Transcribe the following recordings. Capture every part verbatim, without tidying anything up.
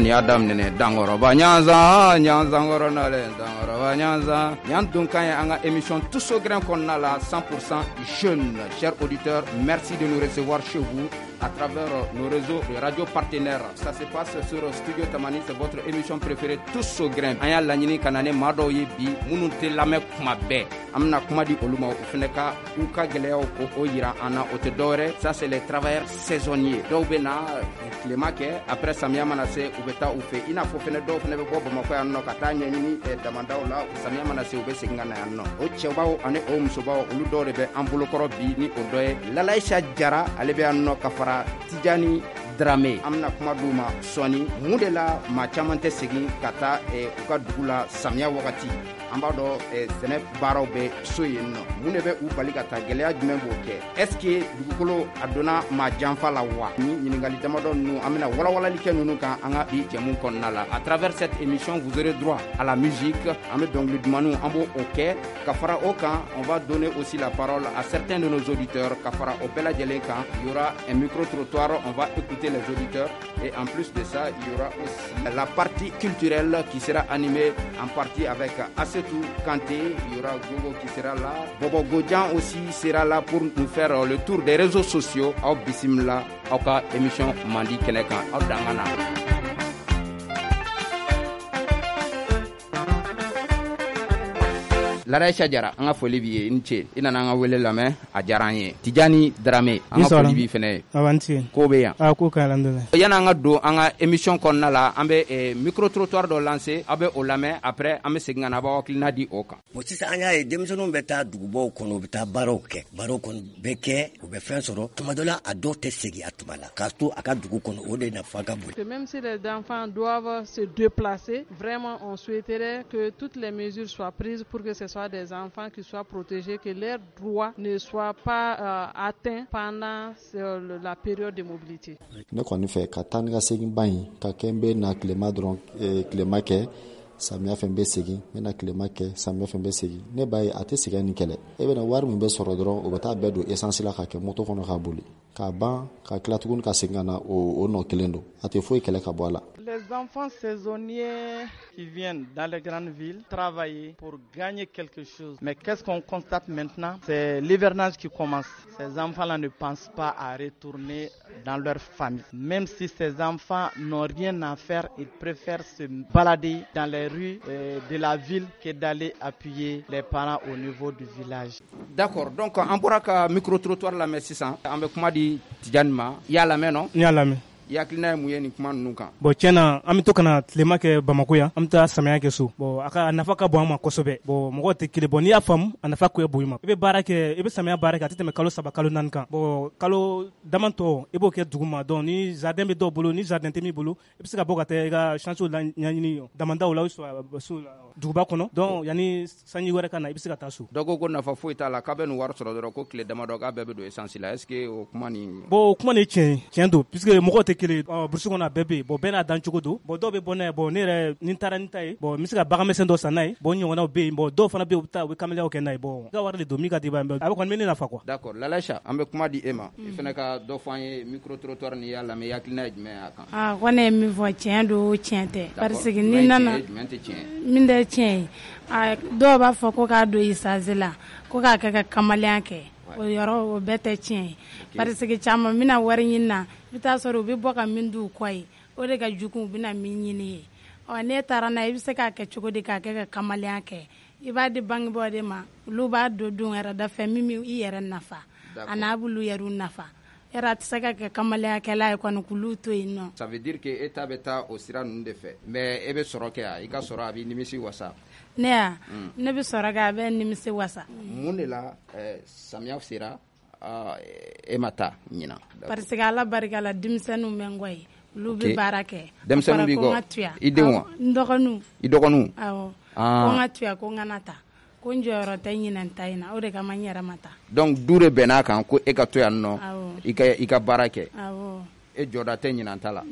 An kɔni y'a daminɛ dankɔrɔba ɲanzan ɲanzankɔrɔ nalen dankɔrɔba ɲanzan ɲan donkan ye an ka émission Tous au grain kɔnɔna la cent pour cent jeunes. Chers auditeurs, merci de nous recevoir chez vous à travers nos réseaux de radio partenaires. Ça se passe sur Studio Tamani, c'est votre émission préférée Tous au grain. An y'a laɲini ka na ni maa dɔw ye bi minnu tɛ lamɛn kuma bɛɛ. An bɛna kuma di olu ma, u fana ka u ka gɛlɛyaw ko o yira an na. O tɛ dɔwɛrɛ, ça c'est les travailleurs saisonniers. Dɔw bɛ na tilema kɛ, après samiya mana se u bɛ taa u fɛ. I n'a fɔ fɛnɛ dɔw fɛnɛ bɛ bɔ Bamakɔ yan nɔ ka taa ɲɛɲini damandaw la, samiya mana se u bɛ segin ka na yan nɔ. O cɛbaw ani o musobaw, olu dɔw de bɛ an bolokɔrɔ bi ni o dɔ ye Lalayisa Jara, ale bɛ yan nɔ ka fara Tijani Dramé. An bɛna kuma d'u ma sɔɔni. Mun de la maa caman tɛ segin ka taa u ka dugu la samiya wagati? An b'a dɔn sɛnɛ baaraw bɛ so yen nɔ. Mun de bɛ u bali ka taa? Gɛlɛya jumɛn b'o kɛ? Est ce que dugukolo a donna maa janfa la wa? Ni ɲininkali damadɔ ninnu, an bɛna walawalali kɛ ninnu kan an ka bi jɛmu kɔnɔna la. À travers cette émission, vous aurez droit à la musique. An bɛ dɔnkili dumanniw, an b'o o kɛ. Ka fara o kan, on va donner aussi la parole à certains de nos auditeurs. Ka fara o bɛɛ lajɛlen kan, il y aura un micro trottoir, on va écouter les auditeurs, et en plus de ça, il y aura aussi la partie culturelle qui sera animée en partie avec Assetou Kanté. Il y aura Gogo qui sera là, Bobo Godjan aussi sera là pour nous faire le tour des réseaux sociaux. Aw bisimila aw ka émission mandi kɛnɛ kan, aw dangana. Lalayisa Jara, an ka foli b'i ye, i ni ce. I nana an ka wele lamɛn, a diyara an ye. Tijani Dramé, an ka foli b'i fɛnɛ ye. Awɔ, n ce. Ko bɛ yan? A ko ka alhamdulilayi. Yanni an ka don an ka émission kɔnɔna la, an bɛ micro trottoir dɔ lancer, aw bɛ o lamɛn, après an bɛ segin ka na, a b'aw hakilina di o kan. Bon, sisan an y'a ye denmisɛnninw bɛ taa dugubaw kɔnɔ, u bɛ taa baaraw kɛ, baaraw kɔni bɛ kɛ, u bɛ fɛn sɔrɔ. Tuma dɔ la, a dɔw tɛ segin a tuma la, k'a to a ka dugu kɔnɔ, o de nafa ka bon. Même si les enfants doivent se déplacer, vraiment on souhaiterait que toutes les mesures soient prises pour que ce soit des enfants qui soient protégés, que leurs droits ne soient pas euh, atteints pendant euh, la période de mobilité. Ne kɔni fɛ ka taa ni ka segin ba in ka kɛ, n bɛ na tilema dɔrɔn, tilema kɛ, samiya fɛn bɛ segin, n bɛ na tilema kɛ, samiya fɛn bɛ segin. Ne b'a ye a tɛ sɛgɛn ni kɛlɛ. E bɛna wari min bɛ sɔrɔ dɔrɔn, o bɛ taa bɛɛ don essence la ka kɛ moto kɔnɔ ka boli k'a ban, ka tila tuguni ka segin ka na o nɔ kelen don. A tɛ foyi kɛlɛ ka bɔ a la. Les enfants saisonniers qui viennent dans les grandes villes travailler pour gagner quelque chose. Mais qu'est-ce qu'on constate maintenant? C'est l'hivernage qui commence. Ces enfants-là ne pensent pas à retourner dans leur famille. Même si ces enfants n'ont rien à faire, ils préfèrent se balader dans les rues de la ville que d'aller appuyer les parents au niveau du village. D'accord. Donc, an bɔra ka micro-trottoir lamɛn sisan. An bɛ kuma di Tijani ma. I y'a lamɛn nɔ? N y'a lamɛn. I hakilina ye mun ye nin kuma ninnu kan? Bon, tiɲɛ na, an bɛ to ka na tilema kɛ Bamako yan, an bɛ taa samiya kɛ so. Bon, a ka a nafa ka bon an ma kosɛbɛ. Bon, mɔgɔw tɛ kelen. Bon, n'i y'a faamu, a nafa ko bon i ma. I bɛ baara kɛ, i bɛ samiya baara kɛ, a tɛ tɛmɛ kalo saba kalo naani kan. Bon, kalo damatɔ i b'o kɛ dugu ma. Donc ni jardin bɛ dɔw bolo, ni jardin tɛ min bolo, i bɛ se ka bɔ ka taa i ka chance la ɲɛɲini damandaw la, so duguba kɔnɔ. Donc yanni sanji wɛrɛ ka na, i bɛ se ka taa so. Dɔw ko ko nafa foyi t'a la, k'a bɛ nin wari sɔrɔ dɔrɔn ko tile damadɔ k'a bɛɛ bɛ don essence la. Est ce que o kuma nin? Bon, o kuma nin ye tiɲɛ ye, tiɲɛ don, puisque mɔgɔw tɛ kelen. Burusi kɔnɔ a bɛɛ bɛ yen. Bon, bɛɛ n'a dan cogo don. Bon, dɔw bɛ bɔ n'a ye. Bon, ne yɛrɛ ni n taara ni ta ye, bon, n bɛ se ka bagan misɛn dɔ san n'a ye. Bon, n ɲɔgɔnnaw bɛ yen. Bon, dɔw fana bɛ yen, u bɛ taa u bɛ kamaleyaw kɛ n'a ye. Bon, i ka wari de don min ka di i b'a ye, a bɛ kɔni bɛ ne nafa quoi. D'accord. Lalayisa, an bɛ kuma di e ma. I fana ka dɔ fɔ an ye micro trottoir nin y'a lamɛn, i hakilina ye jumɛn ye a kan? Ah, ko ne ye min fɔ, tiɲɛ don, tiɲɛ tɛ. Parce que ni nana jumɛn tɛ tiɲɛ ye? Min tɛ tiɲɛ ye, dɔw b'a fɔ ko k'a don essence la, ko k'a kɛ ka kamalenya kɛ. O yɔrɔ o bɛɛ tɛ tiɲɛ ye. Parce que caman bɛna wari ɲini na, i bɛ taa sɔrɔ u bɛ bɔ ka min d'u kɔ ye, o de ka jugu u bɛna min ɲini ye. Ɔ, n'e taara n'a ye, i bɛ se k'a kɛ cogo di k'a kɛ ka kamalenya kɛ? I b'a di bangebaaw de ma, olu b'a don don wɛrɛ da fɛ min bɛ i yɛrɛ nafa, a n'a b'olu yɛrɛ nafa. Yɛrɛ a tɛ se ka kɛ kamalenyakɛla ye kɔni k'olu to yen nɔ. Ça veut dire que e ta bɛ taa o sira ninnu de fɛ, mais e bɛ sɔrɔ kɛ yan, i ka sɔrɔ a b'i nimisi wasa. Ne ya, ne bɛ sɔrɔ kɛ, a bɛ nimisi wasa. Mun de la samiya sera e ma taa ɲinan? Parce que Ala barika la, denmisɛnninw bɛ n kɔ yen, olu bɛ baara kɛ. Denmisɛnninw b'i kɔ? I denw wa? N dɔgɔninw. I dɔgɔninw? Awɔ. Ko n ka tuya, ko n kana taa. Ko n jɔyɔrɔ tɛ ɲinɛn ta in na, o de kama n yɛrɛ ma taa. Donc du de bɛnn'a kan ko e ka to yan nɔ, i ka i ka baara kɛ. Awɔ. E jɔda tɛ ɲinan ta la.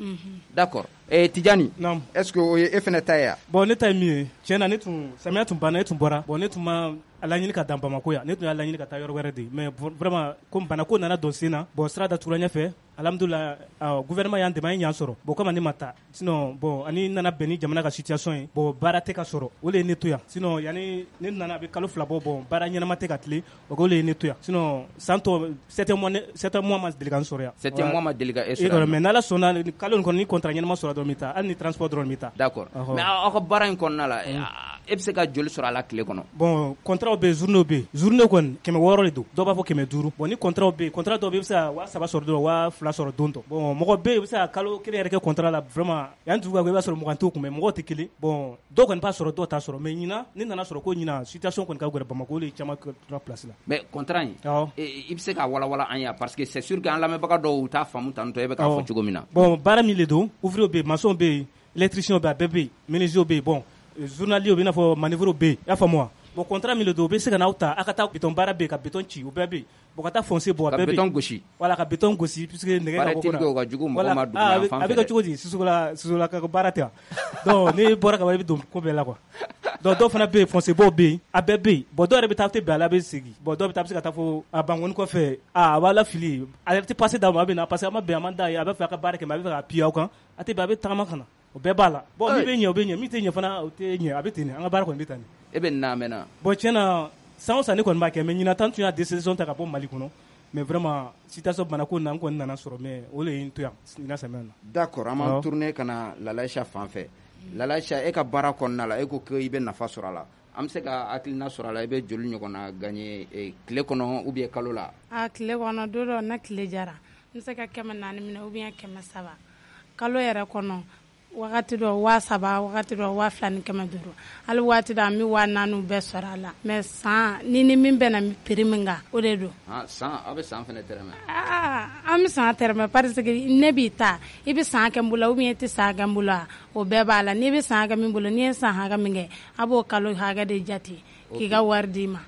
D'accord. Eh Tidjani, est-ce que o ye e fɛnɛ ta ye wa? Bon, ne ta ye min ye, tiɲɛ na, ne tun samiya tun banna, e tun bɔra. Bon, ne tun ma a laɲini ka dan Bamako yan, ne tun y'a laɲini ka taa yɔrɔ wɛrɛ de, mais vraiment comme banako nana don sen na, bon, sira datugura ɲɛfɛ. Alhamdulillah, gouvernement y'an dɛmɛ, an ye ɲan sɔrɔ. Bon, komi ne ma taa, sinon bon, ani nana bɛn ni jamana ka situation ye, bon, baara tɛ ka sɔrɔ, o de ye ne to yan. Sinon yanni ne nana, a bɛ kalo fila bɔ, bon, baara ɲɛnama tɛ ka tilen, o de ye ne to yan. Sinon san tɔ septième mois, septième mois ma deli ka n sɔrɔ yan. Septième mois ma deli ka e sɔrɔ yan. Mais n'Ala sɔnna, kalo in kɔnɔ ni contrat ɲɛnama sɔrɔ dɔrɔn n bɛ taa, hali ni transport dɔrɔn n bɛ taa. D'accord, mais aw ka baara in kɔnɔna la, e bɛ se ka joli sɔrɔ a la tile kɔnɔ? Bon, contrat bɛ yen, journée bɛ yen. Journée kɔni kɛmɛ wɔɔrɔ de don, dɔw b'a fɔ kɛmɛ duuru. Bon, ni contrat bɛ yen, contrat dɔw bɛ yen, i bɛ se ka waa saba sɔrɔ dɔrɔn, waa fila sɔrɔ don dɔ. Bon, mɔgɔ bɛ yen, i bɛ se ka kalo kelen yɛrɛ kɛ contrat la, vraiment yan dugu i b'a sɔrɔ mugan t'o kun, mais mɔgɔw tɛ kelen. Bon, dɔw kɔni b'a sɔrɔ, dɔw t'a sɔrɔ. Mais ɲinan ne nana sɔrɔ ko ɲinan situation kɔni ka gɛlɛn Bamakɔ, o de ye caman tora place la. Mais contrat in, i bɛ se ka walawala an ye, parce que c'est sûr que an lamɛnbaga dɔw u t'a faamu tantɔ e bɛ k'a fɔ cogo min na. Bon, baara min de don, ouvrier bɛ yen, maçon bɛ yen, électricien bɛ yen, a bɛɛ bɛ yen, menuisier bɛ yen, bon, journalier bɛ i n'a fɔ manœuvre bɛ yen, i y'a faamu wa? Bon, contrat min de don, u bɛ se ka n'aw ta, aw ka taa béton baara bɛ yen, ka béton ci, o bɛɛ bɛ yen. Bon, ka taa foncier bɔ, a bɛɛ bɛ yen. Ka béton gosi. Voilà, ka béton gosi puisque nɛgɛ ka bɔ ko la. Paraît-il que o ka jugu mɔgɔ ma dugu yan fan fɛ. A bɛ kɛ cogo di? Sosola sosola ka baara tɛ wa? Donc n'i bɔra ka ban, i bɛ don ko bɛɛ la quoi. Donc dɔw fana bɛ yen, foncier bɔ bɛ yen, a bɛɛ bɛ yen. Bon, dɔw yɛrɛ bɛ taa, tɛ bɛn a la, a bɛ segin. Bon, dɔw bɛ taa, a bɛ se ka taa fo a Bankoni kɔfɛ, a b'a lafili, a yɛrɛ tɛ passe d'a ma, a bɛ na parce que a ma bɛn, a man d'a ye, a b'a fɛ a ka baara kɛ, mais a bɛ fɛ ka appuyer aw kan, a tɛ bɛn, a bɛ tagama ka na. O bɛɛ b'a la. Bon, min bɛ ɲɛ, o bɛ ɲɛ, min tɛ ɲɛ fana, o tɛ ɲɛ, a bɛ ten de, an ka baara kɔni bɛ tan de. E bɛ nin na a mɛnna? Bon, tiɲɛ na, san o san ne kɔni b'a kɛ, mais ɲinan ta n tun y'a décision ta ka bɔ Mali kɔnɔ, mais vraiment situation banako na, n kɔni nana sɔrɔ, mais o de ye n to yan ɲinan samiya na. D'accord, an b'an tourner ka na Lalaïcha fan fɛ. Lalaïcha, e ka baara kɔnɔna la, e ko k'i bɛ nafa sɔrɔ a la. An bɛ se ka hakilina sɔrɔ a la, i bɛ joli ɲɔgɔnna gagner tile kɔnɔ ou bien kalo la? A tile kɔnɔ, don dɔ na tile jara, n bɛ se ka kɛmɛ naani minɛ ou bien kɛmɛ saba. Kalo yɛrɛ kɔnɔ, wagati dɔ waa saba, wagati dɔ waa fila ni kɛmɛ duuru, hali waati dɔ an bɛ waa naani bɛɛ sɔrɔ a la. Mais san ni ni min bɛnna prix min kan, o de don. San, aw bɛ san fana tɛrɛmɛ? Aa, an bɛ san tɛrɛmɛ, parce que ne b'i ta, i bɛ san kɛ n bolo ou bien i tɛ san kɛ n bolo, o bɛɛ b'a la. N'i bɛ san kɛ min bolo, n'i ye san hakɛ min kɛ, a b'o kalo hakɛ de jate k'i ka wari d'i ma.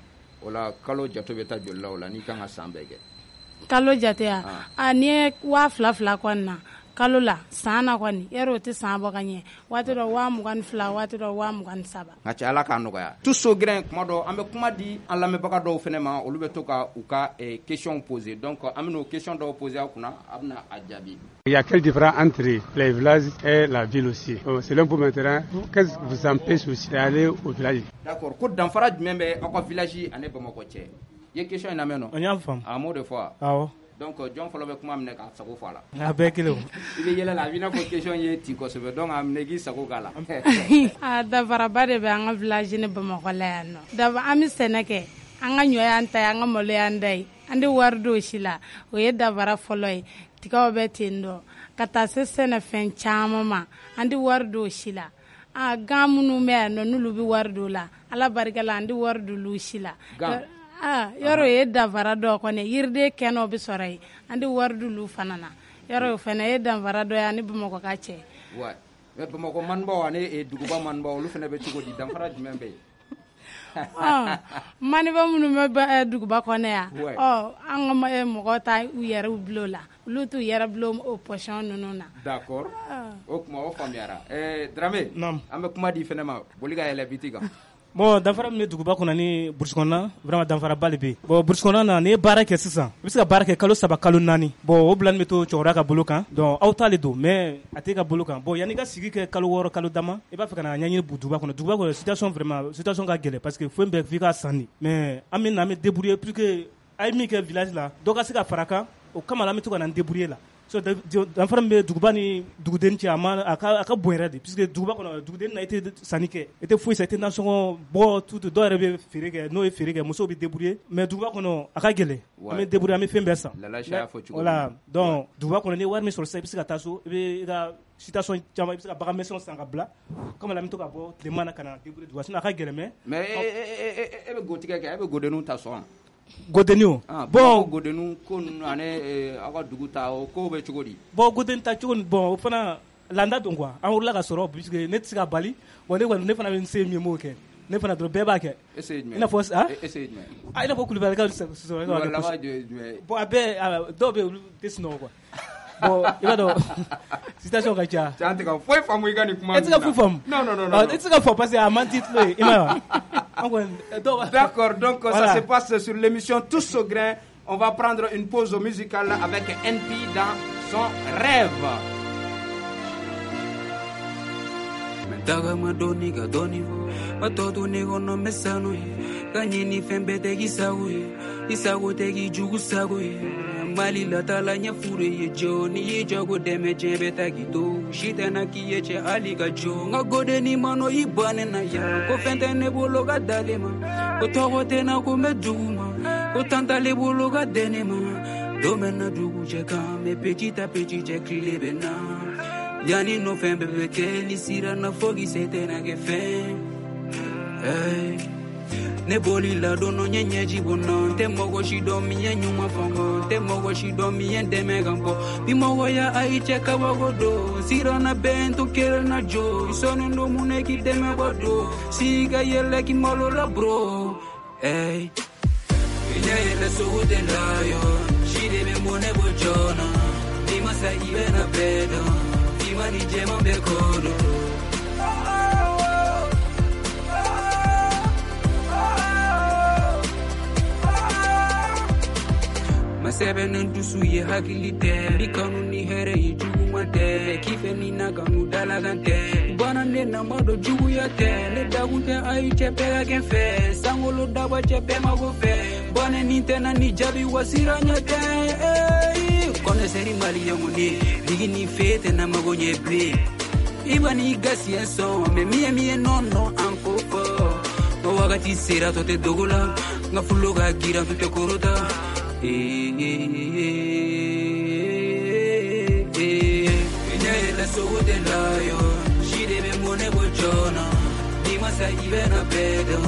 O la kalo jate bɛ taa joli la o la n'i kan ka san bɛɛ kɛ? Kalo jate ya, a n'i ye waa fila fila kɔni na kalo la, san na kɔni, yarɔ o tɛ san bɔ ka ɲɛ, waati dɔ waa mugan ni fila, waati dɔ waa mugan ni saba. Nka cɛ, Ala k'a nɔgɔya. Tout au grain, kuma dɔ an bɛ kuma di an lamɛnbaga dɔw fana ma, olu bɛ to ka u ka question poser. Donc an bɛna o question dɔw poser aw kunna, a bɛna a jaabi. Il y a quelle différence entre les villages et la ville aussi? Selon vous maintenant, qu'est-ce qui vous empêche aussi d'aller au village? D'accord, ko danfara jumɛn bɛ aw ka village ani Bamakɔ cɛ? I ye question in lamɛn nɔ? N y'a faamu. A m'o de fɔ wa? Awɔ. Donc jɔn fɔlɔ bɛ kuma minɛ k'a sago fɔ a la? A bɛɛ kelen o. I bɛ yɛlɛ la, a b'i n'a fɔ question ye ti kosɛbɛ, donc a minɛ k'i sago k'a la. A danfaraba de bɛ an ka village ni Bamakɔ la yan nɔ. D'abord, an bɛ sɛnɛ kɛ, an ka ɲɔ y'an ta ye, an ka malo y'an ta ye, an tɛ wari don o si la, o ye danfara fɔlɔ ye. Tigaw bɛ ten dɔ, ka taa se sɛnɛfɛn caman ma, an tɛ wari don o si la. A gan minnu bɛ yan nɔ, n'olu bɛ wari don o la, Ala barika la, an tɛ wari don olu si la. Gan. Ah, yɔrɔ ye danfara dɔ kɔni, yiriden kɛnɛw bɛ sɔrɔ yen, an tɛ wari d'olu fana na. Yɔrɔ o fana ye danfara dɔ ye ani Bamakɔ ka cɛ. Ouais, mais Bamakɔ manibaw ani duguba manibaw, olu fana bɛ cogo di, danfara jumɛn bɛ yen? Ɔ, maniba minnu bɛ duguba kɔnɔ yan, ɔ, an ka mɔgɔw ta u yɛrɛ bila o la, olu t'u yɛrɛ bila o position ninnu na. D'accord, o kuma o faamuyara. Ɛɛ Dramé, an bɛ kuma di fana ma, boli ka yɛlɛ biti kan. Bon, danfara min bɛ duguba kɔnɔ ni brousse kɔnɔna, vraiment danfaraba de bɛ yen. Bon, brousse kɔnɔna na, n'i ye baara kɛ sisan, i bɛ se ka baara kɛ kalo saba, kalo naani. Bon, o bilani bɛ to cɛkɔrɔba ka bolo kan, donc aw ta de don, mais a t'e ka bolo kan. Bon, yanni i ka sigi kɛ kalo wɔɔrɔ, kalo dama, i b'a fɛ ka na ɲɛɲini duguba kɔnɔ. Duguba kɔnɔ situation, vraiment situation ka gɛlɛn, parce que foyi bɛɛ f'i ka san de. Mais an bɛ na, an bɛ débrouiller pour que a ye min kɛ village la, dɔ ka se ka fara kan, o kama la an bɛ to ka na débrouiller la. So danfara min bɛ duguba ni duguden cɛ, a ma a ka a ka bon yɛrɛ de, puisque duguba kɔnɔ duguden na, i tɛ sanni kɛ, i tɛ foyi san, i tɛ nasɔngɔ bɔ, tout. Dɔw yɛrɛ bɛ feere kɛ, n'o ye feere kɛ, musow bɛ débrouiller. Mais duguba kɔnɔ a ka gɛlɛn, an bɛ débrouiller, an bɛ fɛn bɛɛ san. Lalaïcha y'a fɔ cogo min. Voilà, donc duguba kɔnɔ, n'i ye wari min sɔrɔ sisan, i bɛ se ka taa so, i bɛ i ka situation caman, i bɛ se ka bagan misɛnw san ka bila comme la, an bɛ to ka bɔ tilema na ka na débrouiller duguba, sinon a ka gɛlɛn. Mais mais e bɛ gotigɛ kɛ, e bɛ godenninw ta sɔn? Godenni o? Bon, godenninw ko ninnu ani aw ka dugu ta, o ko bɛ cogo di? Bon, godenni ta cogo, bon, o fana landa don quoi. An wulila ka sɔrɔ, puisque ne tɛ se ka bali. Bon, ne kɔni, ne fana bɛ n se min ye, n b'o kɛ. Ne fana dɔrɔn, bɛɛ b'a kɛ. E se ye jumɛn ye? I n'a fɔ ah, e se ye jumɛn ye? Ah, i n'a fɔ Kulubalikaw. Bon, a bɛɛ, dɔw bɛ yen, olu tɛ sunɔgɔ quoi. Bon i b'a dɔn citation ka ca. Cɛ an tɛ ka foyi faamu i ka nin kuma ninnu na. E tɛ se ka foyi faamu. Non non non non. E tɛ se ka fɔ parce que a man di tulo ye i m'a ye wa. An kɔni dɔw. D'accord, donc ça se passe sur l'émission Tous au grain. On va prendre une pause musicale avec N P dans son rêve. Daga madoni ga doni matoto ne gono mesano kanyini fembe te gisago isago te gijugu sago mali la tala nya fure ye joni ye jago deme jebe ta gido shitana kiye che ali ga jo ngagode ni mano ibane na ya ko fente ne bolo ga dalema ko togo te na ko meduma ko tanta le bolo ga denema domena dugu je ka me petit à petit je klebena Yani no fɛn bɛɛ bɛ kɛ ni sira na fo k'i se tɛna kɛ fɛn. Hey. Ne boli la don dɔ n ye ɲɛji bɔ n na n tɛ mɔgɔ si dɔn min ye ɲuman fɔ n kɔ n tɛ mɔgɔ si dɔn min ye n dɛmɛ ka n bɔ bi mɔgɔya ayi cɛ kabako don sira na bɛn to kelen na jo i sɔnnen don mun na k'i dɛmɛ bɔ don si ka yɛlɛ k'i malo la bro. Hey. I ɲɛ yɛlɛ sogo tɛ la yo si de bɛ mɔnɛ bɔ joona ni ma sa i bɛna bɛɛ dɔn. Mani jema be kodo. Masebe ndusu ye hakili tɛ bi kanu ni hɛrɛ ye juguman tɛ kifɛ ni na kanu dalakan tɛ bana ne na ma dɔ juguya tɛ ne dakun tɛ ayi cɛ bɛɛ ka kɛ n fɛ sankolo daba cɛ bɛɛ mago fɛ bana ni tɛ na ni jaabi wa sira ɲɛ tɛ. Connaisseur malien ne ligi ni fete na mago nye ble iba ni gasi en son mais mie mie non non anko fo no wakati sera to te dogola nga fulo ga gira to te korota eh eh eh eh la sogo de la yo shide be mone bojona ni masa ibe na pedo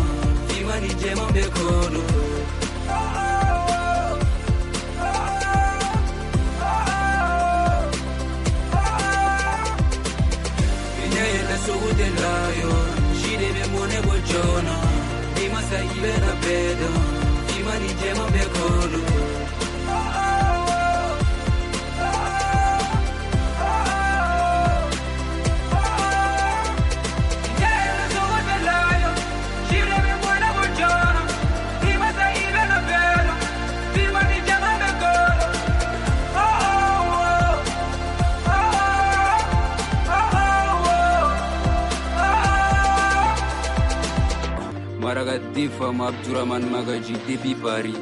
ima ni jema be kono. Sogo de la yo shide be mone bojona ni masa ibe na pedo ima ni jema be kono. Femme Abdourahman Magaji depuis Paris.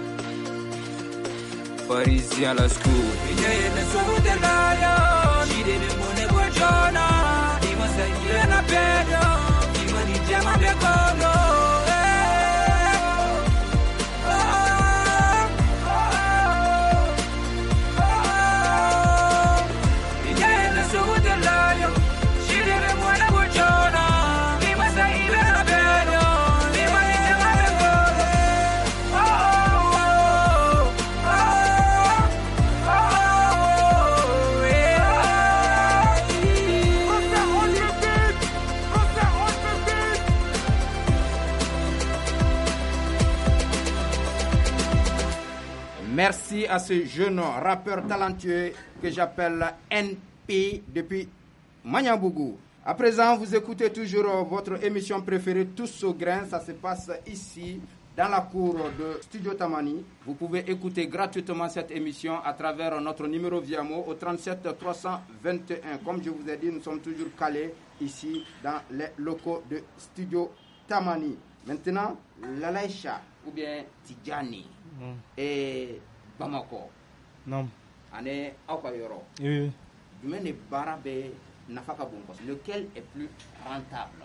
Parisien la school. Merci à ce jeune rappeur talentueux que j'appelle N P depuis Magnambougou. À présent, vous écoutez toujours votre émission préférée Tous au grain. Ça se passe ici, dans la cour de Studio Tamani. Vous pouvez écouter gratuitement cette émission à travers notre numéro Viamo au trente-sept trois cent vingt et un. Comme je vous ai dit, nous sommes toujours calés ici dans les locaux de Studio Tamani. Maintenant, Lalaïcha ou bien Tidjani mm. et Bamako. Non. Ane aw ka yɔrɔ. Oui. Jumɛn de baara bɛ nafa ka bon kosɛbɛ? Lequel est plus rentable?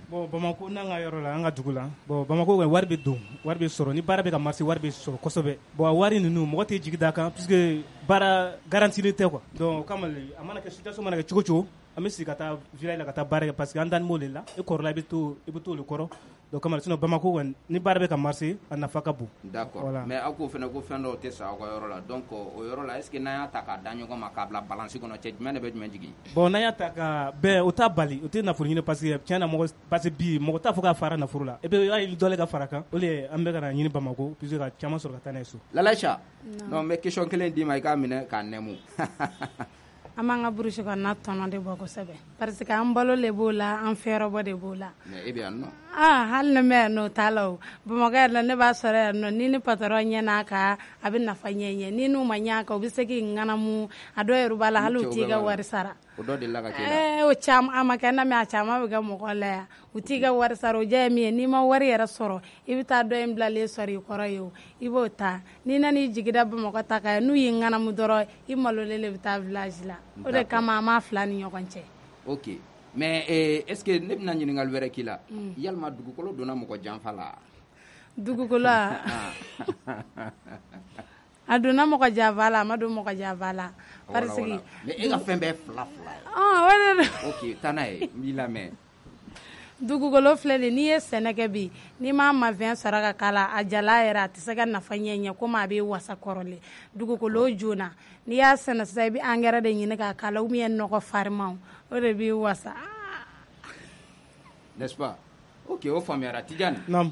Bon, Bamako n'an ka yɔrɔ la, an ka dugu la. Bon, Bamako wari bɛ don, wari bɛ sɔrɔ. Ni baara bɛ ka marcher, wari bɛ sɔrɔ kosɛbɛ. Bon, a wari ninnu mɔgɔ tɛ jigi d'a kan puisque baara garantilen tɛ quoi. Donc o kama a mana kɛ situation mana kɛ cogo cogo, an bɛ sigi ka taa village la ka taa baara kɛ parce que an dalen b'o de la. E kɔrɔla i bɛ to i bɛ to o de kɔrɔ. Donc kama sinon Bamako kɔni ni baara bɛ ka marcher a nafa ka bon. D'accord. Voilà. Mais aw k'o fana ko fɛn dɔw tɛ sa aw ka yɔrɔ la, donc o yɔrɔ la est ce que n'an y'a ta k'a da ɲɔgɔn ma k'a bila balance kɔnɔ, cɛ jumɛn de bɛ jumɛn jigin? Bon, n'an y'a ta ka bɛɛ, o t'a bali, o tɛ nafolo ɲini, parce que tiɲɛ na mɔgɔ, parce que bi mɔgɔ t'a fɔ k'a fara nafolo la, e bɛ hali dɔ le ka fara kan, o de an bɛ ka na ɲini Bamako puisque ka caman sɔrɔ ka taa n'a ye so. Lalaïcha, non, n bɛ question kelen d'i ma, i k'a minɛ k'a nɛmu. An b'an ka brousse kɔnɔna tɔnɔ de bɔ kosɛbɛ, parce que an balo le b'o la, an fɛɛrɛbɔ de b'o la. Mais e bɛ yan nɔ. Ah, hali ni bɛ yan nɔ, o t'a la o. Bamakɔ yan nɔ, ne b'a sɔrɔ yan nɔ, ni ni patɔrɔn ɲɛna kan, a bɛ nafa ɲɛ ɲɛ, ni n'u ma ɲɛ a kan, u bɛ se k'i ŋanamu, a dɔw yɛrɛ b'a la hali u t'i ka wari sara. O dɔ delila ka k'e la? Ɛɛ, o caman a ma kɛ n na, mais a caman bɛ kɛ mɔgɔ la yan. U t'i ka wari sara, o diya ye min ye, n'i ma wari yɛrɛ sɔrɔ, i bɛ taa dɔ in bilalen sɔrɔ i kɔrɔ ye o, i b'o ta. N'i nan'i jigi da Bamakɔ ta kan, n'u y'i ŋanamu dɔrɔn, i malolen de bɛ taa village la. O de kama an b'a fila ni ɲɔgɔn cɛ. Ok, mais eh, est ce que ne bɛna ɲininkali wɛrɛ k'i la? Yalima dugukolo donna mɔgɔ janfa la? Dugukolo a donna mɔgɔ janfa la, a ma don mɔgɔ janfa la. Parce que mais e ka fɛn bɛɛ fila fila ye. Ah, o de don. Ok, taa n'a ye, n b'i lamɛn. Dugukolo filɛ nin, n'i ye sɛnɛ kɛ bi, n'i m'a mafɛn sɔrɔ ka k'a la, a jala yɛrɛ a tɛ se ka nafa ɲɛ ɲɛ komi a bɛ wasa kɔrɔlen. Dugukolo joona, n'i y'a sɛnɛ sisan, i bɛ angɛrɛ de ɲini k'a k'a la ou bien nɔgɔ farimanw, o de b'i wasa. N'est-ce pas? Ok, o faamuyara. Tidiane. Naam.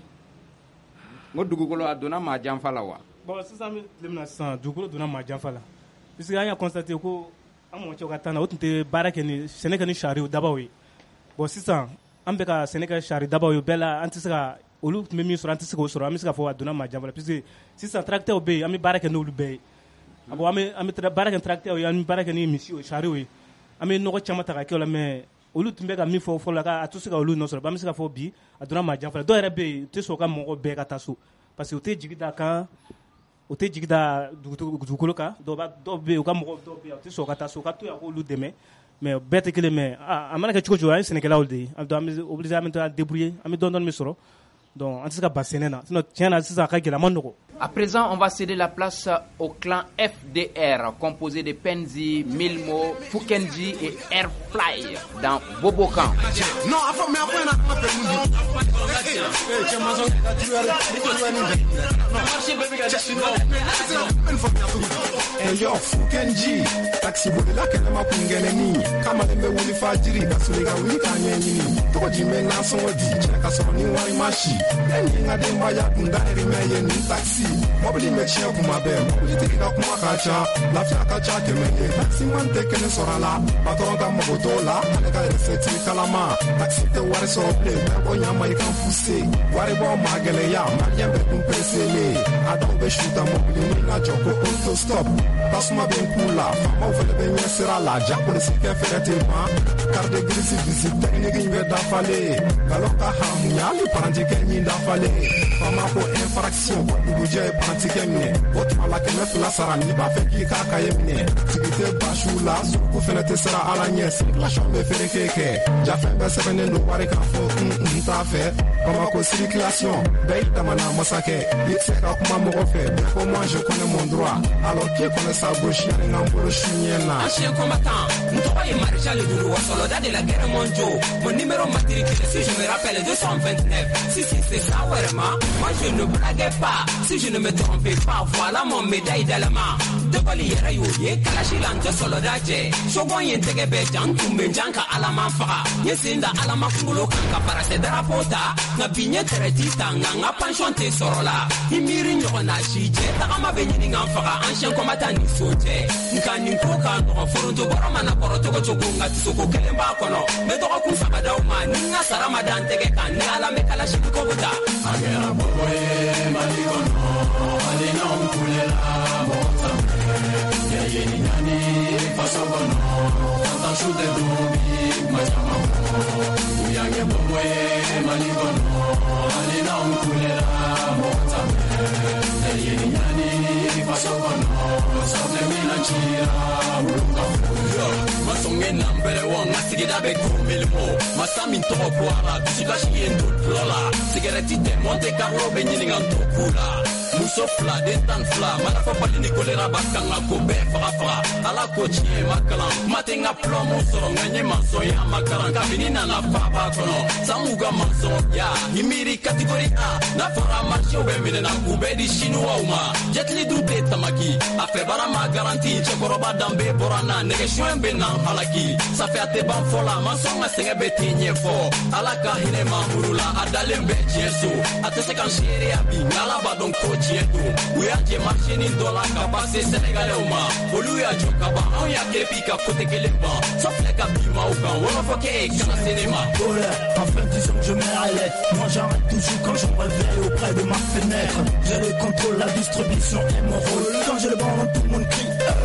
N ko dugukolo a donna maa janfa la wa? Bon, sisan an bɛ tile min na sisan, dugukolo donna maa janfa la, puisque an y'a constaté ko an mɔcɛw ka temps na, o tun tɛ baara kɛ ni sɛnɛ kɛ ni sariw dabaw ye. Bon, sisan an bɛ ka sɛnɛ kɛ sari dabaw ye, bɛɛ la an tɛ se ka olu tun bɛ min sɔrɔ, an tɛ se k'o sɔrɔ. An bɛ se k'a fɔ a donna maa janfa la, puisque sisan tracteurs bɛ yen, an bɛ baara kɛ n'olu bɛɛ ye. Bon, an bɛ an bɛ baara kɛ tracteurs ye, an bɛ baara kɛ ni misiw sariw ye, an bɛ nɔgɔ caman ta ka kɛ o la, mais olu tun bɛ ka min fɔ fɔlɔ la, k'a tɛ se ka olu nɔ sɔrɔ. An bɛ se k'a fɔ bi a donna maa janfa la. Dɔw yɛrɛ bɛ yen, u tɛ sɔn u ka mɔgɔ bɛɛ ka taa so, parce que u tɛ jigi da kan, u tɛ jigi da dugukolo kan. Dɔw b'a dɔw bɛ yen, u ka mɔgɔ dɔw bɛ yen, u tɛ sɔn ka taa so, u ka to yan k'olu dɛmɛ. Mais bɛɛ tɛ kelen, mais a mana kɛ cogo cogo, an ye sɛnɛkɛlaw de ye, an bɛ obligé, an bɛ taa débrouiller, an bɛ dɔɔnin dɔɔnin min sɔrɔ. Donc an tɛ se ka ban sɛnɛ na, sinon tiɲɛ na sisan a ka gɛlɛn, a ma nɔgɔn. À présent, on va céder la place au clan F D R, composé de Penzi, Milmo, Fukenji et Airfly dans Bobokan. Non, yo, Fukenji, taxi bolila kɛnɛma kungeleni kamalen bɛ wuli fajiri ka sɔrɔ i ka wuli k'a ɲɛɲini tɔgɔ jumɛn n'a sɔngɔ di cɛ ka sɔrɔ ni wari ma si e ni n ka denbaya kun dahirimɛ ye nin taxi mɔbili bɛ tiɲɛ kuma bɛɛ mɔbilitigi ka kuma ka ca lafiya ka ca kɛmɛ ye taximan tɛ kelen sɔrɔ a la patɔrɔn ka mago t'o la ale ka recette kalama taxi tɛ wari sɔrɔ bilen bɛɛ ko ɲama i kan fuse wari bɔ ma gɛlɛya maliyɛn bɛɛ kun preselen a dɔw bɛ suta mɔbili min na jɔ ko auto stop tasuma bɛ n ku la faamaw fɛnɛ bɛ ɲɛ sira la ja polisikɛ fɛnɛ tɛ ban carte grise visite technique in bɛ dafalen nkalon ka haramuya hali parantikɛ ɲin dafalen faama ko infraction ko dugujɛ ye parantikɛ minɛ o tuma la kɛmɛ fila sara n'i b'a fɛ k'i k'a kaye minɛ tigi tɛ basiw la suruku fɛnɛ tɛ siran ala ɲɛ circulation bɛ fereke kɛ jafɛn bɛɛ sɛbɛnnen don wari kan fɔ n n t'a fɛ Bamako circulation bɛɛ y'i damana masakɛ i tɛ se ka kuma mɔgɔ fɛ bɛɛ ko moi je connais mon droit alors qui connaît sa gauche yanni n ka n bolo su ɲɛ na. Ancien combattant, n tɔgɔ ye Maréchal Doudou soldat de la guerre mondiale. Mon numéro matricule, si je me rappelle, deux cent vingt-neuf. Si si c'est ça vraiment, moi je ne blaguais pas. Si je ne me trompais pas, voilà mon médaille d'allemand. De Gaulle yɛrɛ y'o ye kalasi la n tɛ soldat jɛ. Sogon ye n tɛgɛ bɛɛ jan n tun bɛ jan ka alama faga. N ye sen da alama kunkolo kan ka parasɛ drapeau ta. Nka bi n ye tɛrɛti ta nka n ka pension tɛ sɔrɔ la. I miiri ɲɔgɔn na si jɛ tagama bɛ ɲini ka n faga ancien combattant ni so cɛ. Nka nin ko ka nɔgɔn foronto bɔrɔ mana kɔrɔ cogo cogo nka tisoko kelen b'a kɔnɔ. N bɛ dɔgɔkun saba d'aw ma ni n ka sara ma da n tɛgɛ kan ni Ala bɛ kalasi ko ta. A kɛra bɔbɔ ye Mali kɔnɔ hali n'anw kulela mɔgɔ t'an fɛ. Yɛrɛ ni ɲani faso kɔnɔ fantan su tɛ dun bi kuma caman fɔ. U y'an kɛ bɔbɔ ye Mali kɔnɔ hali n'anw kulela mɔgɔ t'an fɛ. Yɛrɛ ni ɲani faso kɔnɔ safunɛ mina cira olu ka fɔ. Masɔnkɛ nanbɛrɛ wa n ka sigida bɛ ko milimo masa min tɔgɔ ko ala dusukasi ye n to dulɔ la sigɛrɛti tɛ Monte Carlo bɛ ɲininka n to ku la Muso fila den tan fila mana fɔ bali ni kolera ba kan ka ko bɛɛ faga faga ala ko tiɲɛ ma kalan kuma tɛ n ka plɔmu sɔrɔ nka n ye mansɔnya ma kalan kabini nana faaba kɔnɔ san mugan mansɔnya i miiri catégorie A n'a fɔra marché bɛ minɛ na k'u bɛɛ di chinois ma jetili dun tɛ tamaki a fɛ baara ma garanti cɛkɔrɔba danbe bɔra n na nɛgɛsuɲɛ bɛ na halaki safe a tɛ ban fɔ la mansɔn ka sɛgɛn bɛ t'i ɲɛfɔ ala ka hinɛ mamuru la a dalen bɛ tiɲɛ so a tɛ se ka n seereya bi nka ala b'a dɔn ko tiɲɛ don u y'a jɛ marché dɔ la ka pase sɛnɛgalɛw ma olu y'a jɔ ka ban anw y'a kerepi ka kote kelen ban sɔfilɛ ka bi maaw kan wɔlɔfɔ kɛ e kana se ne ma. Enfin disons que je m'arrête, moi j'arrête toujours quand je me réveille auprès de ma fenêtre. J'ai le contrôle, la distribution est mon rôle. Quand j'ai le ballon, tout le monde crie hey.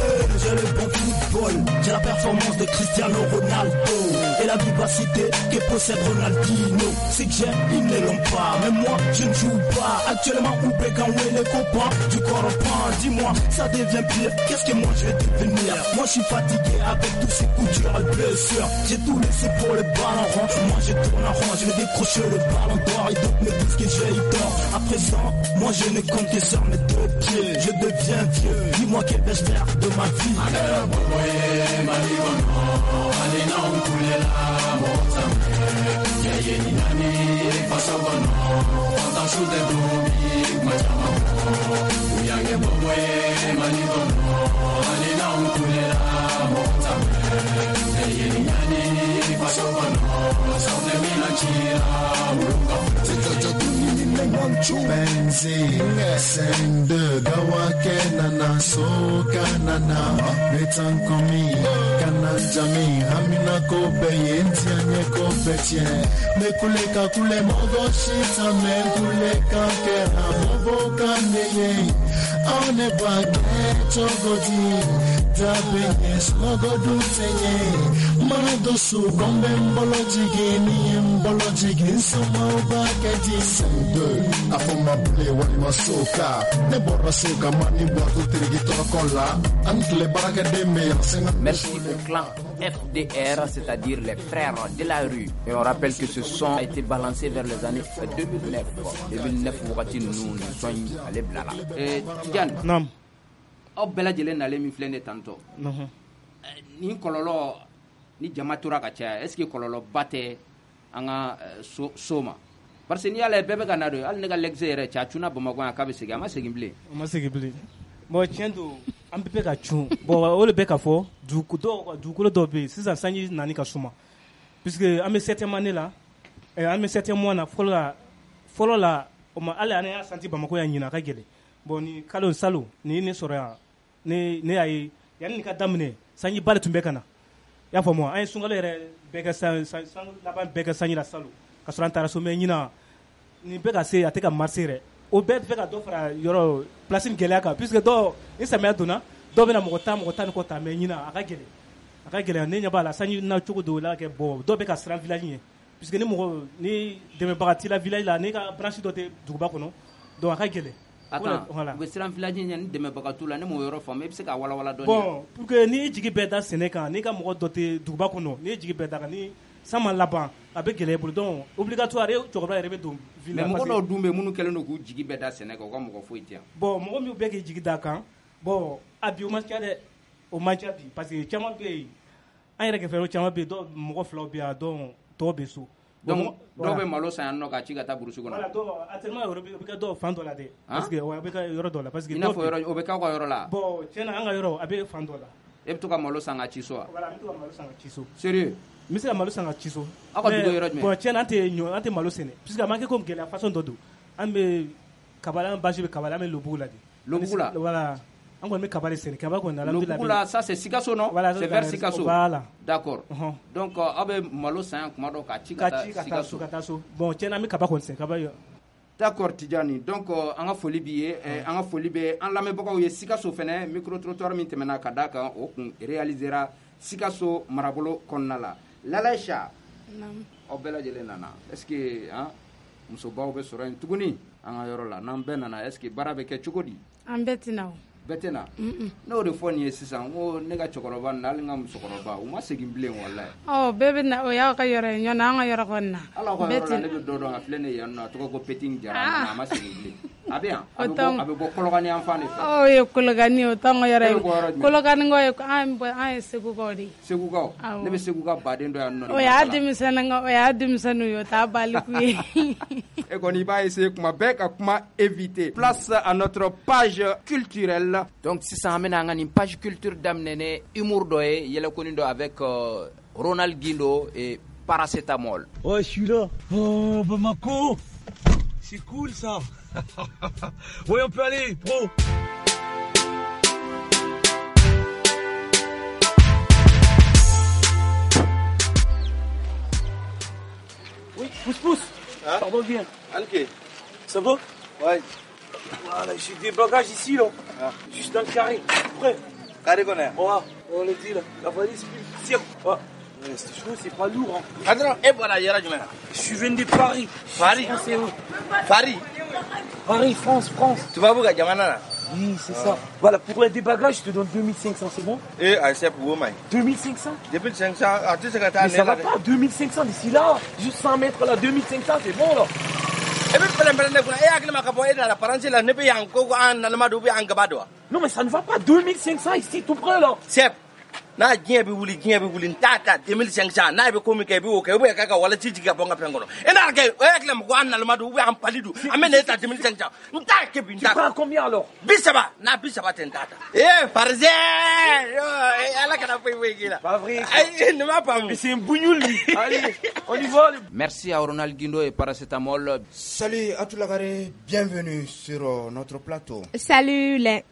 J'ai le bon football, j'ai la performance de Cristiano Ronaldo et la vivacité que possède Ronaldinho. C'est que j'ai, ils ne l'ont pas, mais moi je ne joue pas. Actuellement, où Békanoué les copains du corps reprend. Dis-moi, ça devient pire, qu'est-ce que moi je vais devenir? Moi je suis fatigué avec tous ces coups durs et blessures. J'ai tout laissé pour le ballon rond. Moi je tourne en rond, je vais décrocher le ballon d'or et d'autres me disent que j'ai eu tort. À présent, moi je ne compte que sur mes deux pieds. Je deviens vieux, dis-moi quel vais-je faire de ma vie? Benzi, sende, gawake nana, soka nana, metankomi, kananjami, hamina kobe, yentianye kobe tien, mekule kakule mogo shita, mekule kakera, mobo kaneye, one bake chogodi, tabenye, smogo dutenye, manadosu, gombe mbolo jigi, ni mbolo jigi, nsoma ubake di sende. A fɔ ma bilen walima soka ne bɔra soka ma ni bɔtɔ teriki tɔrɔkɔ la an tile baarakɛden bɛ yan sen. Merci au clan F D R, c'est-à-dire les frères de la rue. Et on rappelle que ce son a été balancé vers les années deux mille neuf. deux mille neuf wagati ninnu nin son in ale bilala. Eh, Tidiane. Naam. Aw bɛɛ lajɛlen nalen min filɛ nin ye tantɔ. Nin kɔlɔlɔ ni jama tora ka caya, est-ce que kɔlɔlɔba tɛ an ka so so ma? Parce que n'i y'a lajɛ bɛɛ bɛ ka na don hali ne ka lɛgise yɛrɛ cɛ a cunna Bamakɔ yan k'a bɛ segin a ma segin bilen. A ma segin bilen. Bon tiɲɛ don an bɛɛ bɛ ka cun bon o de bɛ ka fɔ dugu dɔw dugukolo dɔw bɛ yen sisan sanji nani ka suma puisque an bɛ septième année la an bɛ septième mois na fɔlɔ la fɔlɔ la o ma hali an y'a santi Bamakɔ yan ɲinan a ka gɛlɛn bon ni kalo salon ni ye ne sɔrɔ yan ne ne y'a ye yanni nin ka daminɛ sanjiba de tun bɛ ka na i y'a faamu an ye sunkalo yɛrɛ bɛɛ kɛ san san laban bɛɛ kɛ sanji la salon ka sɔrɔ an taara so mais ɲinan nin bɛ ka se a tɛ ka marcher yɛrɛ o bɛɛ bɛ ka dɔ fara yɔrɔ place in gɛlɛya kan puisque dɔw ni samiya donna dɔw bɛna mɔgɔ tan mɔgɔ tan ni kɔ ta mais ɲinan a ka gɛlɛn a ka gɛlɛn ne ɲɛ b'a la sanji na cogo dɔw la kɛ bon dɔw bɛ ka siran village ɲɛ puisque ni mɔgɔ ni dɛmɛbaga t'i la village la n'i ka branche dɔ tɛ duguba kɔnɔ donc a ka gɛlɛn. Attends, u bɛ siran village ɲɛ ni dɛmɛbaga t'u la ne m'o yɔrɔ faamu e bɛ se k'a walawala dɔɔni. Bon pour que n'i jigi bɛɛ da sɛnɛ kan n'i ka mɔgɔ dɔ tɛ duguba kɔnɔ n'i jigi bɛɛ da kan ni san ma laban a bɛ gɛlɛya i bolo donc obligatoire e cɛkɔrɔba yɛrɛ bɛ don ville la. Mais mɔgɔ dɔw dun bɛ minnu kɛlen don k'u jigi bɛɛ da sɛnɛ kan u ka mɔgɔ foyi tɛ yan. Bon mɔgɔ min bɛ k'i jigi da kan bon a bi o man ca dɛ o man ca bi parce que caman bɛ yen an yɛrɛ kɛrɛfɛ caman bɛ yen dɔw mɔgɔ filaw bɛ yan dɔw tɔw bɛ so. Donc dɔw bɛ malo san yan nɔ k'a ci ka taa burusi kɔnɔ. Voilà dɔw actuellement o bɛ kɛ dɔw fan dɔ la dɛ. Parce que a bɛ kɛ yɔrɔ dɔ la parce que. I n'a fɔ yɔrɔ o bɛ k'aw ka yɔrɔ la. Bon tiɲɛ na an ka yɔrɔ a bɛ fan dɔ la. E bɛ to ka malo san ka ci so wa? Voilà n bɛ to ka malo san ka ci so. Sérieux? N bɛ se ka malo san ka ci so. Aw ka dugu ye yɔrɔ jumɛn? Bon tiɲɛ na an tɛ ɲɔ an tɛ malo sɛnɛ puisque a ma kɛ komi gɛlɛya façon dɔ don an bɛ kaba an base bɛ kaba la an bɛ Lobugu la de. Lobugu la? Voilà. An kɔni bɛ kaba de sɛnɛ kaba kɔni alhamdulilayi. Lobugu la ça c'est Sikasso non? Voilà, c'est vers Sikasso. Voilà. D'accord. Uh-huh. Donc aw bɛ malo san yan kuma dɔ k'a ci ka taa Sikasso. Ka taa so. Bon tiɲɛ na an bɛ kaba kɔni sɛnɛ kaba. D'accord Tidjani. Donc an ka foli b'i ye, an ka foli bɛ an lamɛnbagaw ye Sikasso fɛnɛ micro trottoir min tɛmɛna ka d'a kan o kun réalisera Sikasso marabolo kɔnɔna la. Lalaïcha. Naamu. Aw bɛɛ lajɛlen nana. Est-ce que hein musobaw bɛ sɔrɔ yen tuguni an ka yɔrɔ la n'an bɛɛ nana est-ce que baara bɛ kɛ cogo di? An bɛɛ tɛ na o. Bɛɛ tɛ na? Ne y'o de fɔ nin ye sisan n ko ne ka cɛkɔrɔba ninnu hali n ka musokɔrɔba u ma segin bilen walayi. Ɔ bɛɛ bɛ na o y'aw ka yɔrɔ ye ɲɔn an ka yɔrɔ kɔni na. Hali aw ka yɔrɔ la ne bɛ dɔ dɔn a filɛ nin ye yan nɔ a tɔgɔ ko Petit Jara a ma segin bilen. A bɛ yan, a bɛ bɔ a bɛ bɔ Kolokani yan fan de fɛ. O ye Kolokani o t'anw ka yɔrɔ ye. Kolokani ye an bɔ an ye Segukaw de ye. Segukaw, ne bɛ Segu ka baden dɔ yan nɔ. O y'a denmisɛnnin o y'a denmisɛnninw ye o t'a baliku ye. E kɔni i b'a essayer kuma bɛɛ ka kuma éviter. Place à notre page culturelle. Donc sisan an bɛna an ka nin page culture daminɛ ni humour dɔ ye, yɛlɛkonin dɔ avec euh, Ronald Guindo et Paracétamol. Ouais, je suis là. Oh, Bamako. C'est cool ça. Ouais, on peut aller, pro. Oui, pousse, pousse. Hein? Pardon, viens. Ok. Ça va? Ouais. Voilà, j'ai des bagages ici, là. Ah. Juste dans le carré. Prêt. Carré qu'on est. Ouais, on le dit, là. La valise, puis le ouais. Ouais, c'est chaud, c'est pas lourd. Hein. Attends, et voilà, il y a du mal. Je viens de Paris. Paris. C'est où? Paris. Paris, France, France. Tu vas où, Gamana? Oui, c'est ah. ça. Voilà, pour les débagages, je te donne deux mille cinq cents, c'est bon? Eh, c'est pour vous, mec. deux mille cinq cents? deux mille cinq cents, ah, tu sais que mais ça va pas, deux mille cinq cents d'ici là. Juste cent mètres là, deux mille cinq cents, c'est bon là. Non, mais ça ne va pas, deux mille cinq cents ici, tout près là. C'est. N'a diɲɛ bɛ wuli diɲɛ bɛ wuli n t'a ta deux mille cinq cents n'a bɛ ko min kɛ i b'o kɛ ou bien k'a ka wala ci jigin ka bɔ n ka fɛn kɔnɔ e n'a kɛ o y'a tila mɔgɔ an naloma don ou bien an pali don an bɛ na e ta deux mille cinq cents n t'a kɛ bi n t'a. Tu prends combien alors? Bi saba n'a bi saba tɛ n t'a ta. Eh parisien ala kana foyi foyi k'i la. Pas vrai. Ayi nin m'a faamu. Mais c'est un bougnoul lui. Allez, on y va. Merci à Ronald Guindo et Paracétamol. Salut à tout Lagaré, bienvenue sur notre plateau. Salut les.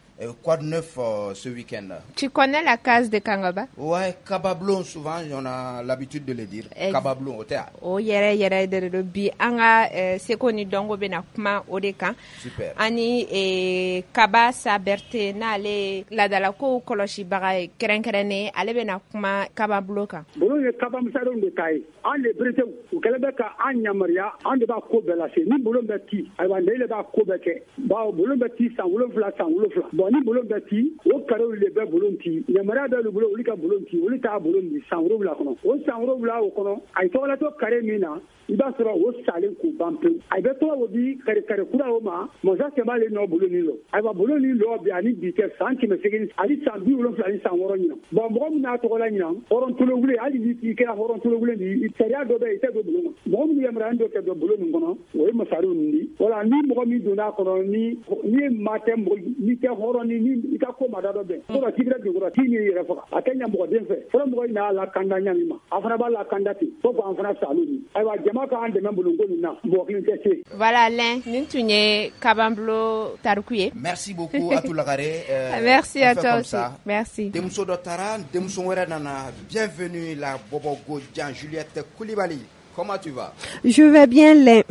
Quoi de neuf euh, ce week-end? Tu connais la case de Kangaba? Ouais, Kabablon, souvent, on a l'habitude de le dire. Ex Kabablon, au théâtre. Oh, yere yere de bi anga seko ni dongo bena kuma o de kan. Super. Ani eh, Kaba Saberte n'ale ladala ko kɔlɔsi baga kɛrɛnkɛrɛnnen ale bena kuma Kabablon kan. Bolon ye kabamisadenw de ta ye. An le beretew u kɛlen bɛ ka an yamaruya an de b'a ko bɛɛ lase. Ni bolon bɛ ci, ayiwa ne de b'a ko bɛɛ kɛ. Bawo bolon bɛ ci san wolonfila san wolonfila. Bon, ni bolon bɛ ci o karew de bɛ bolon ci yamaruya bɛ olu bolo olu ka bolon ci olu t'a bolon di san wolonwula kɔnɔ o san wolonwula o kɔnɔ a ye tɔgɔlatɔ kare min na i b'a sɔrɔ o salen k'u ban pewu a bɛ tɔgɔ o di kare kare kura o ma masa cɛ b'ale nɔ bolon ni lɔ ayiwa bolon ni lɔ bi ani bi tɛ san kɛmɛ seegin ani san bi wolonwula ani san wɔɔrɔ ɲinan bɔn mɔgɔ min n'a tɔgɔ la ɲinan hɔrɔn tolowulen hali ni i kɛra hɔrɔn tolowulen di sariya dɔ bɛ yen i tɛ don bulon kɔnɔ mɔgɔ minnu yamaruyalen dɔ kɛ don bulon nin kɔnɔ o ye masariw nin di wala ni mɔgɔ min donna a kɔnɔ ni ni maa tɛ mɔgɔ ni tɛ hɔrɔn ni ni i ka ko ma da dɔ bɛn fɔlɔ k'i bɛ dugu kɔrɔ k'i n'i yɛrɛ faga a tɛ ɲɛ mɔgɔ den fɛ fɔlɔ mɔgɔ in n'a lakanda ɲa min ma a fana b'a lakanda ten fo k'an fana salu ni ayiwa jama k'an dɛmɛ bulonko nin na mɔgɔ kelen tɛ se. Voilà Lin, nin tun ye Kabanbulon tariku ye. Merci beaucoup Atou Lagaré. Euh, Merci à toi aussi. Merci. Denmuso dɔ taara denmuso wɛrɛ nana. Bienvenue la Bobogo Jan Juliette Koulibaly. Comment tu vas? Je vais bien Lin.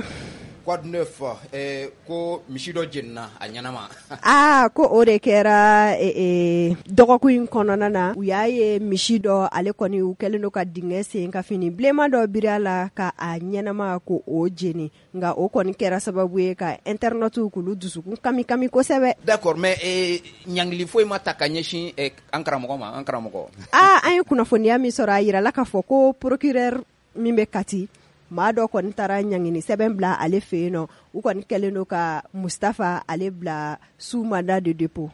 Quoi de neuf? Eh, ko misi dɔ jenina a ɲɛnama. Ah, ko o de kɛra eh, eh, dɔgɔkun in kɔnɔna na u y'a ye misi dɔ ale kɔni u kɛlen don ka dingɛ sen ka fini bilenman dɔ biri a la ka a ɲɛnama ko o jeni nka o kɔni kɛra sababu ye ka internautes k'olu dusukun kami kami kosɛbɛ. D'accord, mais eh, ɲangili foyi ma ta ka ɲɛsin eh, an karamɔgɔ ma an karamɔgɔ. Ah, an ye kunnafoniya min sɔrɔ a yirala k'a fɔ ko procureur min bɛ Kati maa dɔ kɔni taara ɲangini sɛbɛn bila ale fɛ yen nɔ u kɔni kɛlen don ka Mustafa ale bila sous mandat de dépôt.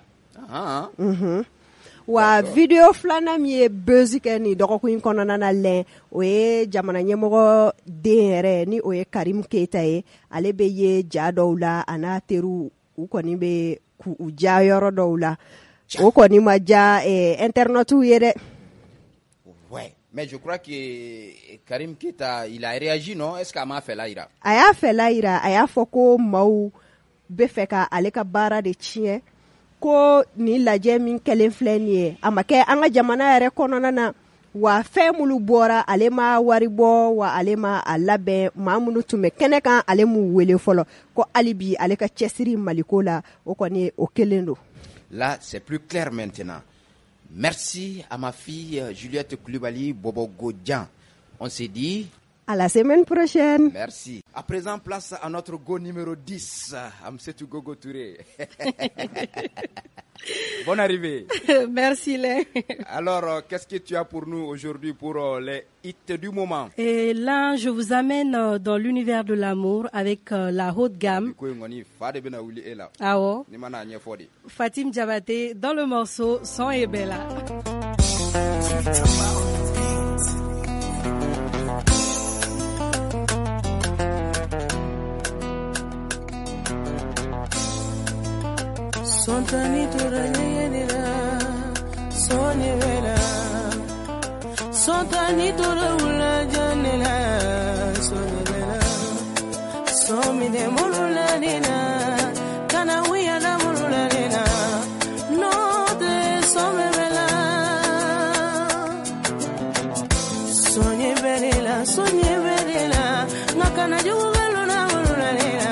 Ah. Mhm. Wa video filanan min ye buzz kɛ nin dɔgɔkun in kɔnɔna na lɛn o ye jamana ɲɛmɔgɔ den yɛrɛ ni o ye Karim Keita ye ale bɛ ye ja dɔw la a n'a teriw u kɔni bɛ k'u ja yɔrɔ dɔw la o kɔni ma ja eh, internautes ye dɛ. Ouais. Mais je crois que Karim Keita, il a réagi, non? Est-ce qu'a m'a fait là, ira? A y'a fɛ la yira a y'a fɔ ko maaw bɛ fɛ ka ale ka baara de tiɲɛ ko nin lajɛ min kɛlen filɛ nin ye a ma kɛ an ka jamana yɛrɛ kɔnɔna na wa fɛn minnu bɔra ale ma wari bɔ wa ale ma a labɛn maa minnu tun bɛ kɛnɛ kan ale m'u wele fɔlɔ ko hali bi ale ka cɛsiri Maliko la o kɔni o kelen don. Là, c'est plus clair maintenant. Merci à ma fille Juliette Koulibaly Bobogo Dian. On s'est dit À la semaine prochaine. Merci. À présent, place à notre go numéro dix, Amsetou Gogo Touré. Bonne arrivée. Merci, Lé. Alors, euh, qu'est-ce que tu as pour nous aujourd'hui pour euh, les hits du moment? Et là, je vous amène euh, dans l'univers de l'amour avec euh, la haute gamme. Ah oh. Fatim Diabaté dans le morceau Son et Bella. Sontani tora sonye vela Sontani tora ula janela sonye vela Somine mulula nina kana wiya na mulula nina no te some vela Sonye vela sonye vela ngakana jugu na mulula nina.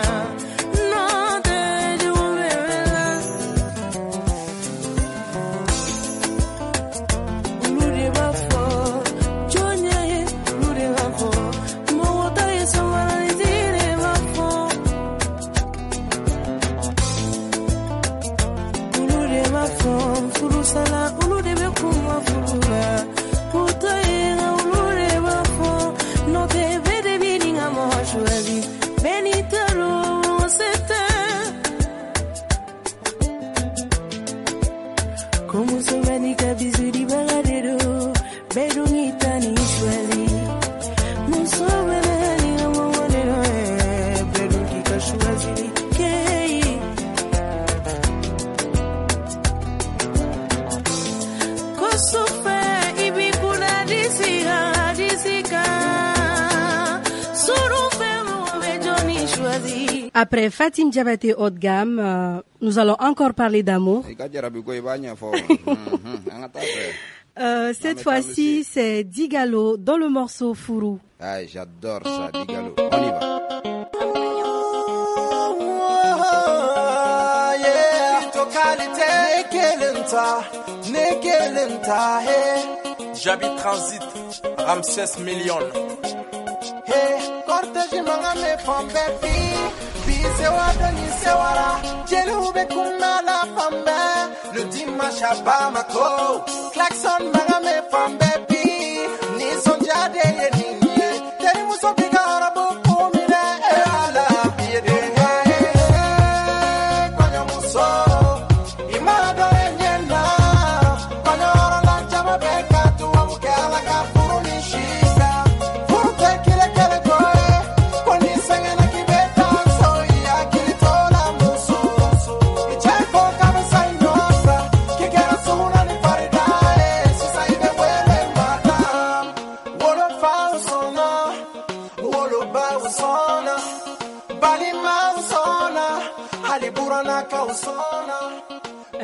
Après Fatim Diabaté haut de gamme, euh, nous allons encore parler d'amour. euh, cette fois-ci, c'est Digalo dans le morceau Fourou. Ah, j'adore ça, Digalo. On y va. J'habite Transit, Ramsès Million. Hey, cortège mangame fambe bi, bi sewa doni sewara, jelu be kuma la fambe, le dimanche à Bamako, klaxon mangame fambe bi, ni sonja de ye ni ye, teri muso biga arabu kumine e ala biye de. Konyo muso, imado enyena, konyo orola chama beka tuwa muke ala ka furu ni shika.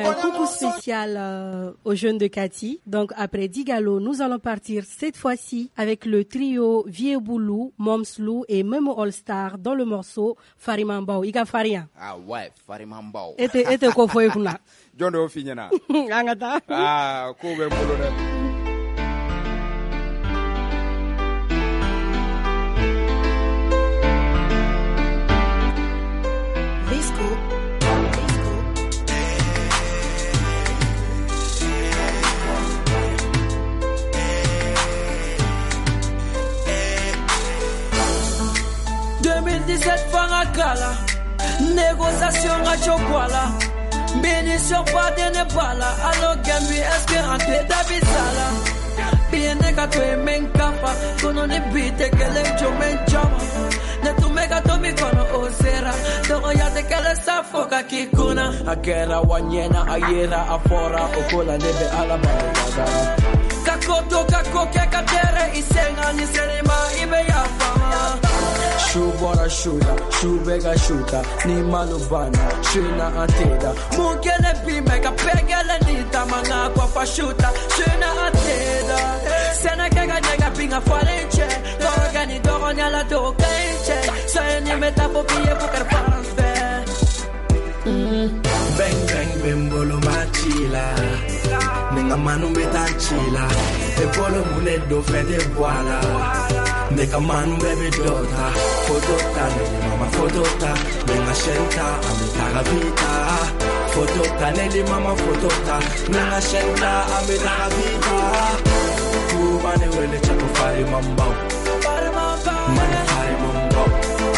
Un coucou spécial euh, aux jeunes de Kati. Donc après Digalo, nous allons partir cette fois-ci avec le trio Vieux Boulou, Momslou et Memo All Star dans le morceau Farimambao. Iga Faria. Ah ouais, Farimambao. Ete ete ko foye kuna. Jondo finyana. Angata. Ah, ko be mbolo de. deux mille dix-sept Farakala, négociation à Chokwala, bénédiction pas de Nepala, alors Gambi espérante d'Abisala, bien négatoé menkafa, kono ne bite kelem chomen chama, ne tu mega tomi kono osera, togo ya te kele safoka kikuna, akera wanyena ayera afora, okola nebe alaba kakoto kakoke katere isenga ni selima ibe ya fama. Shu bora shuda, shu bega shuta, ni malubana, shuna anteda. Mukele bi mega pegele ni tamanga kwa fashuta, shuna anteda. Sena kega nega pinga falenche, doroga ni doronya la dokenche. Soy ni metafobia bukar faranfe. Bang bang bembolo machila, nenga manu metachila, e polo mune do fede boala. Ne ka manu bɛɛ bɛ dɔ ta. Photo ta, ne ni mama photo ta. N bɛ n ka chaîne ta, an bɛ taga vita. Photo ta, ne ni mama photo ta. N bɛ n ka chaîne ta, an bɛ taga vita. Kuba ne wele cɛ ko fari man baw. Mali fari man baw.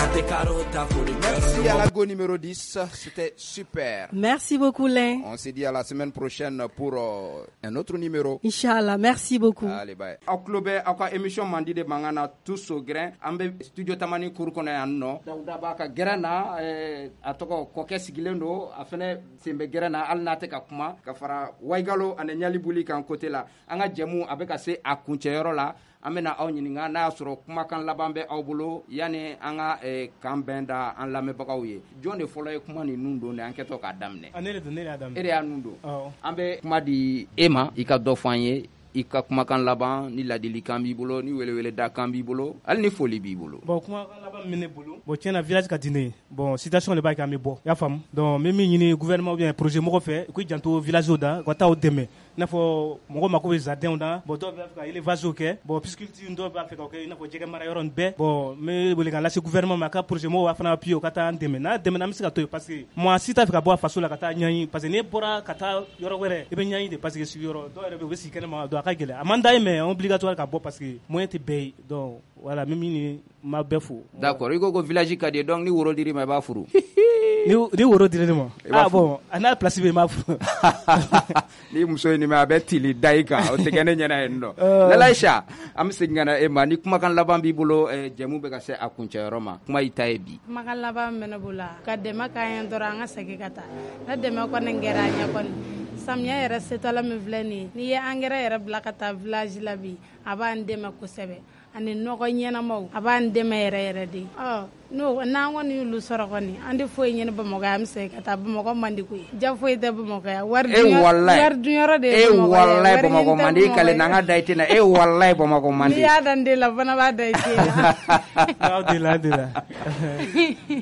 An tɛ karo ta foli. Merci à la go numéro dix, c'était super. Merci beaucoup, Lin. On se dit à la semaine prochaine pour euh, un autre numéro. Inch'Allah, merci beaucoup. Allez, bye. Aw tulo bɛ aw ka émission mandi de mankan na Tous au grain. An bɛ studio Tamani kuru kɔnɔ yan nɔ. Dawuda b'a ka gɛrɛn na, eh, a tɔgɔ kɔkɛ sigilen don, a fɛnɛ sen bɛ gɛrɛn na hali n'a tɛ ka kuma, ka fara Waigalo ani Ɲalibuli kan côté la. An ka jɛmu a bɛ ka se a kuncɛyɔrɔ la. An bɛna aw ɲininka n'a y'a sɔrɔ kumakan laban bɛ aw bolo yanni an ka eh, kan bɛn da an lamɛnbagaw ye. Jɔn de fɔlɔ ye kuma nin nun don de an kɛtɔ k'a daminɛ? Ah, ne de don, ne de y'a daminɛ. E de y'a nun don. Awɔ. An bɛ kuma di e ma, i ka dɔ fɔ an ye, i ka kumakan laban, ni ladilikan b'i bolo, ni weleweledakan b'i bolo, hali ni foli b'i bolo. Bon, kumakan laban min bɛ ne bolo, bon, tiɲɛ na village ka di ne ye. Bon, situation de b'a kɛ an bɛ bɔ, i y'a faamu. Donc n bɛ min ɲini gouvernement ou bien projet mɔgɔ fɛ, u k'u janto village da, u ka taa u dɛmɛ. I n'a fɔ mɔgɔ mako bɛ jardin na, bon, dɔw b'a fɛ ka élevage kɛ, bon, pisciculture dɔw b'a fɛ ka kɛ i n'a fɔ jɛgɛ mara yɔrɔ nin bɛɛ. Bon, n bɛ welekan lase gouvernement ma, a ka projet mɔgɔw b'a fana appuyer, u ka taa an dɛmɛ. N'a dɛmɛ, an bɛ se ka to yen parce que maa si t'a fɛ ka bɔ a faso la ka taa ɲɛɲini, parce que n'e bɔra ka taa yɔrɔ wɛrɛ, i bɛ ɲɛɲini de, parce que sigiyɔrɔ dɔw yɛrɛ bɛ yen, u bɛ sigi kɛnɛma, donc a ka gɛlɛn. A man d'an ye mais obligatoire ka bɔ parce que moyen tɛ bɛɛ ye. Donc voilà, n bɛ min ɲini, n b'a bɛɛ fo. D'accord, i ko ko village ka di ye, donc ni woro dir'i ma i b'a furu. Ni ni woro dira ne ma, I b'a ah furu. Bon, a n'a place bɛ yen, n b'a furu. Ni muso ye nin mɛn, a bɛ tili da i kan, o tɛ kɛ ne ɲɛna yen nɔ. Euh. Lalaïcha, an bɛ segin ka na e ma, ni kumakan laban b'i bolo, eh, jɛmu bɛ ka se a kuncɛyɔrɔ ma, kuma y'i ta ye bi. Kumakan laban min bɛ ne bolo, ka dɛmɛ k'an ye dɔrɔn, an ka segin ka taa. Ne dɛmɛ kɔni kɛra an ɲɛ kɔni, samiya yɛrɛ setɔla min filɛ nin ye, n'i ye angɛrɛ yɛrɛ bila ka taa village la bi, a b'an dɛmɛ kosɛbɛ, ani nɔgɔ ɲɛnamaw, a b'an dɛmɛ yɛrɛ yɛrɛ de. Ɔ n'o n'an kɔni y'olu sɔrɔ kɔni, an tɛ foyi ɲini Bamakɔ yan, an bɛ segin ka taa. Bamakɔ man di koyi, ja foyi tɛ Bamakɔ yan, wari E dunyɔrɔ walayi. Wari dunyɔrɔ de ye E Bamakɔ ye, walayi, wari Bamakɔ ɲini tɛ man di, i Bamakɔ kale ye. n'an ka da i tɛna, e walayi, Bamakɔ man N'i di. y'a da n den la, fana b'a da i den la. Aw de la, de la.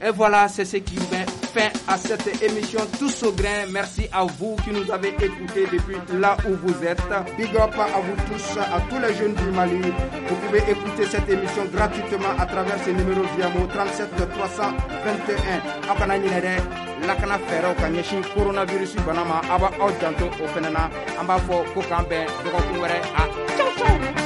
Et voilà, c'est ce qui met fin à cette émission Tous au grain. Merci à vous qui nous avez écoutés depuis là où vous êtes. Big up à vous tous, à tous les jeunes du Mali. Vous pouvez écouter cette émission gratuitement à travers ces numéros Viamo trente-sept trois cent vingt et un. Aw kana ɲinɛ dɛ, lakana fɛɛrɛw ka ɲɛsin coronavirus bana ma, aw b'aw janto o fɛnɛ na. An b'a fɔ ko k'an bɛn dɔgɔkun wɛrɛ. A ciao ciao.